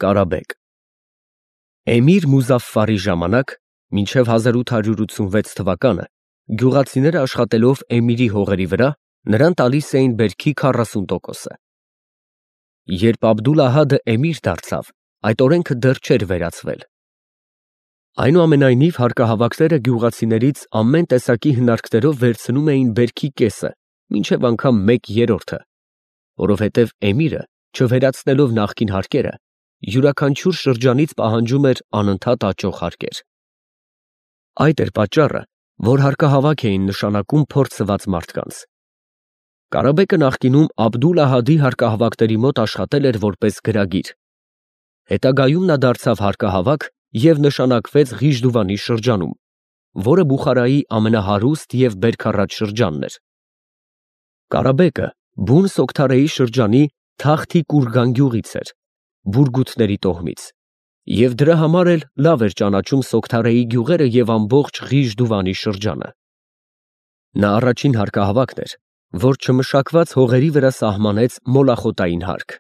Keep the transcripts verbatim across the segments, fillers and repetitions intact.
Կարաբեկ Էմիր Մուզաֆֆարի ժամանակ, մինչև հազար ութ հարյուր ութսունվեց թվականը, գյուղացիները աշխատելով Էմիրի հողերի վրա, նրան տալիս էին բերքի քառասուն տոկոսը։ Երբ Աբդուլ֊Ահադը էմիր դարձավ, այդ օրենքը դեռ չէր վերացվել։ Այնուամենայնիվ, հարկահավաքները գյուղացիներից ամեն տեսակի հնարքներով վերցնում էին բերքի կեսը, մինչև անգամ մեկ երրորդը, որովհետև էմիրը, չվերացնելով նախկին հարկերը, յուրաքանչյուր շրջանից պահանջում էր անընդհատ աճող հարկեր։ Այդ էր պատճառը, որ հարկահավաք էին նշանակում փորձված մարդկանց։ Կարաբեկը նախկինում Աբդուլ֊Ահադի հարկահավաքների մոտ աշխատել էր որպես գրագիր։ Հետագայում նա դարձավ հարկահավաք և նշանակվեց Ղիժդուվանի շրջանում, որը Բուխարայի ամենահարուստ և բերքառատ շրջանն էր։ Կարաբեկը բուն Սոգթարեի շրջանի Թախթի Կուրգան գյուղից էր, Բուրգութների տոհմից, և դրա համար էլ լավ էր ճանաչում Սոգթարեի գյուղերը և ամբողջ Ղիժդուվանի շրջանը։ Նա առաջին հարկահավաքն էր, որ չմշակված հողերի վրա սահմանեց մոլախոտային հարկ։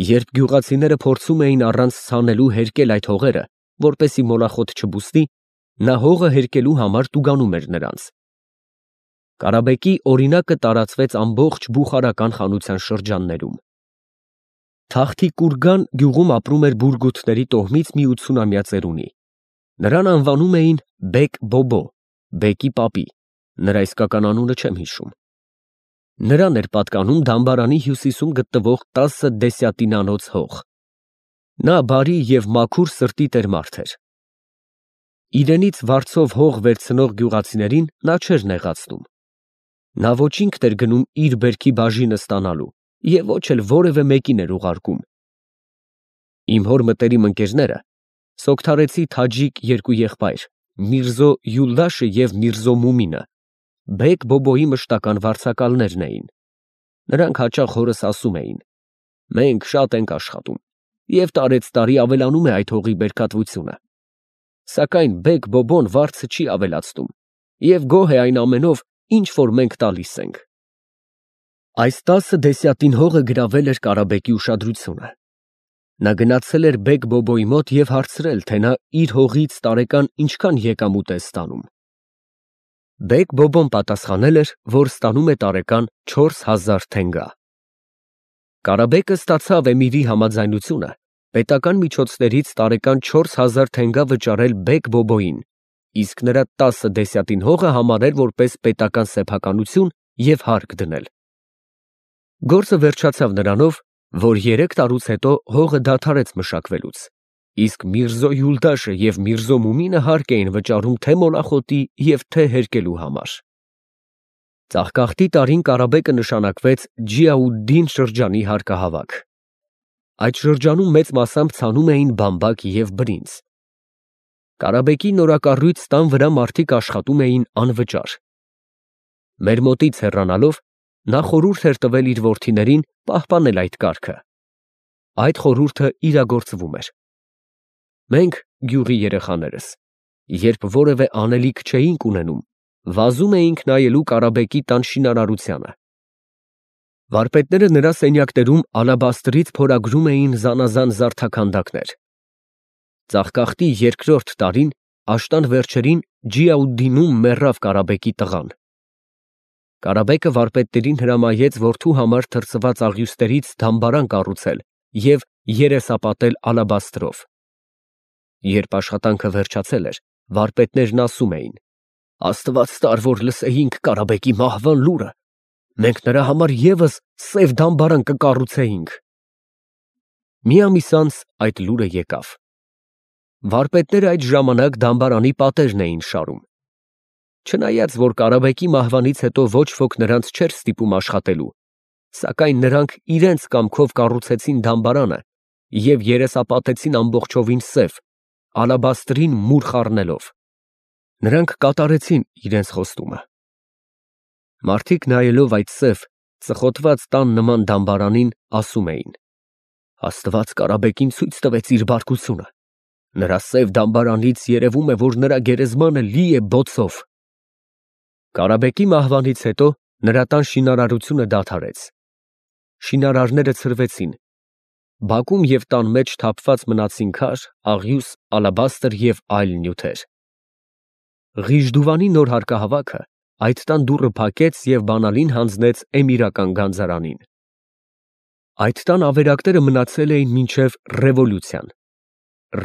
Երբ գյուղացիները փորձում էին առանց ցանելու հերկել այդ հողերը, որպեսզի մոլախոտ չբուսնի, նա հողը հերկելու համար տուգանում էր նրանց։ Կարաբեկի օրինակը տարածվեց ամբողջ բուխարական խանության շրջաններում։ Թախթի Կուրգան գյուղում ապրում էր Բուրգութների տոհմից մի ութսունամյա ծերունի։ Նրան անվանում էին Բեկ Բոբո, բեկի պապի, նրա իսկական անունը չեմ հիշում։ Նրան էր պատկանում Դամբարանի հյուսիսում գտնվող տասը դեսյատինանոց հող։ Նա բարի և մաքուր սրտի տեր մարդ էր։ Իրենից վարձով հող վերցնող գյուղացիներին նա չէր նեղացնում։ Նա ոչ ինքն էր գնում իր բերքի բաժինը ստանալու և ոչ էլ որևէ մեկին էր ուղարկում։ Իմ հոր մտերիմ ընկերները սոգթարեցի թաջիկ երկու եղբայր՝ Միրզո Յուլդաշը և Միրզո Մումինը, Բեկ Բոբոյի մշտական վարձակալներն էին։ Նրանք հաճախ հորս ասում էին. «Մենք շատ ենք աշխատում, և տարեցտարի ավելանում է այդ հողի բերքատվությունը։ Սակայն Բեկ Բոբոն վարձը չի ավելացնում և գոհ է այն ամենով, ինչ որ մենք տալիս ենք»։ Այս տասը դեսյատին հողը գրավել էր Կարաբեկի ուշադրությունը։ Նա գնացել էր Բեկ Բոբոյի մոտ և հարցրել, թե նա իր հողից տարեկան ինչքան եկամուտ է ստանում։ Բեկ Բոբոն պատասխանել էր, որ ստանում է տարեկան չորս հազար թենգա։ Կարաբեկը ստացավ էմիրի համաձայնությունը պետական միջոցներից տարեկան չորս հազար թենգա վճարել Բեկ Բոբոյին, իսկ նրա տասը դեսյատին հողը համարել որպես պետական սեփականություն և հարկ դնել։ Գործը վերջացավ նրանով, որ երեք տարուց հետո հողը դադարեց մշակվելուց, իսկ Միրզո Յուլդաշը և Միրզո Մումինը հարկ էին վճարում թե մոլախոտի և թե հերկելու համար։ Ծաղկաղթի տարին Կարաբեկը նշանակվեց Ջիաուդդին շրջանի հարկահավաք։ Այդ շրջանում մեծ մասամբ ցանում էին բամբակ և բրինձ։ Կարաբեկի նորակառույց տան վրա մարդիկ աշխատում էին անվճար։ Մեր մոտից հեռանալով, նա խորհուրդ էր տվել իր որդիներին պահպանել այդ կարգը։ Այդ խորհուրդը իրագործվում էր։ Մենք, գյուղի երեխաներս, երբ որևէ անելիք չէինք ունենում, վազում էինք նայելու Կարաբեկի տան շինարարությանը։ Վարպետները նրա սենյակներում ալաբաստրից փորագրում էին զանազան զարդաքանդակներ։ Ծաղկաղթի երկրորդ տարին, աշտան վերջերին, Ջիաուդդինում մեռավ Կարաբեկի տղան։ Կարաբեկը վարպետներին հրամայեց որդու համար թրծված աղյուսներից դամբարան կառուցել և երեսապատել ալաբաստրով։ Երբ աշխատանքը վերջացել էր, վարպետներն ասում էին. «Աստված տար, որ լսեինք Կարաբեկի մահվան լուրը, մենք նրա համար ևս սև դամբարան կկառուցեինք»։ Մի ամիս անց այդ լուրը եկավ։ Վարպետները այդ ժամանակ դամբարանի պատերն էին շարում։ Չնայած որ Կարաբեկի մահվանից հետո ոչ ոք նրանց չէր ստիպում աշխատելու, սակայն նրանք իրենց կամքով կառուցեցին դամբարանը և երեսապատեցին ամբողջովին սև, ալաբաստրին մուր խառնելով։ Նրանք կատարեցին իրենց խոստումը։ Մարդիկ նայելով այդ սև, ծխոտված տան նման դամբարանին, ասում էին. «Աստված Կարաբեկին ցույց տվեց իր բարկությունը։ Նրա սև դամբարանից երևում է, որ նրա գերեզմանը լի է բոցով»։ Կարաբեկի մահվանից հետո նրա տան շինարարությունը դադարեց։ Շինարարները ցրվեցին, Բակում և տան մեջ թափված մնացին քար, աղյուս, ալաբաստր և այլ նյութեր։ Ղիժդուվանի նոր հարկահավաքը այդ տան դուռը փակեց և բանալին հանձնեց էմիրական գանձարանին։ Այդ տան ավերակները մնացել էին մինչև ռևոլյուցիան։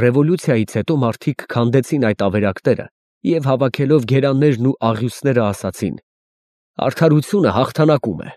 Ռևոլյուցիայից հետո մարդիկ քանդեցին այդ ավերակները և հավաքելով գերաններն ու աղյուսները ասացին. «Արդարությունը հաղթանակում է»։